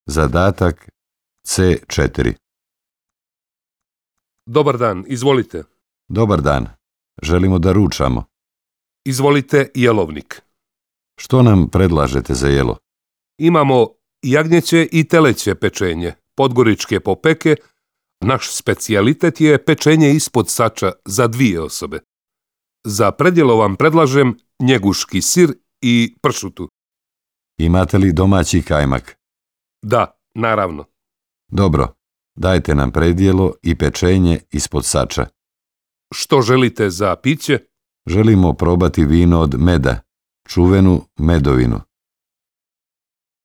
Zadatak C4. Dobar dan, izvolite. Dobar dan. Želimo da ručamo. Izvolite jelovnik. Što nam predlažete za jelo? Imamo jagnjeće i teleće pečenje, podgoričke popeke. Naš specijalitet je pečenje ispod sača za 2 osobe. Za predjelo vam predlažem njeguški sir i pršutu. Imate li domaći kajmak? Da, naravno. Dobro, dajte nam predjelo i pečenje ispod sača. Što želite za piće? Želimo probati vino od meda, čuvenu medovinu.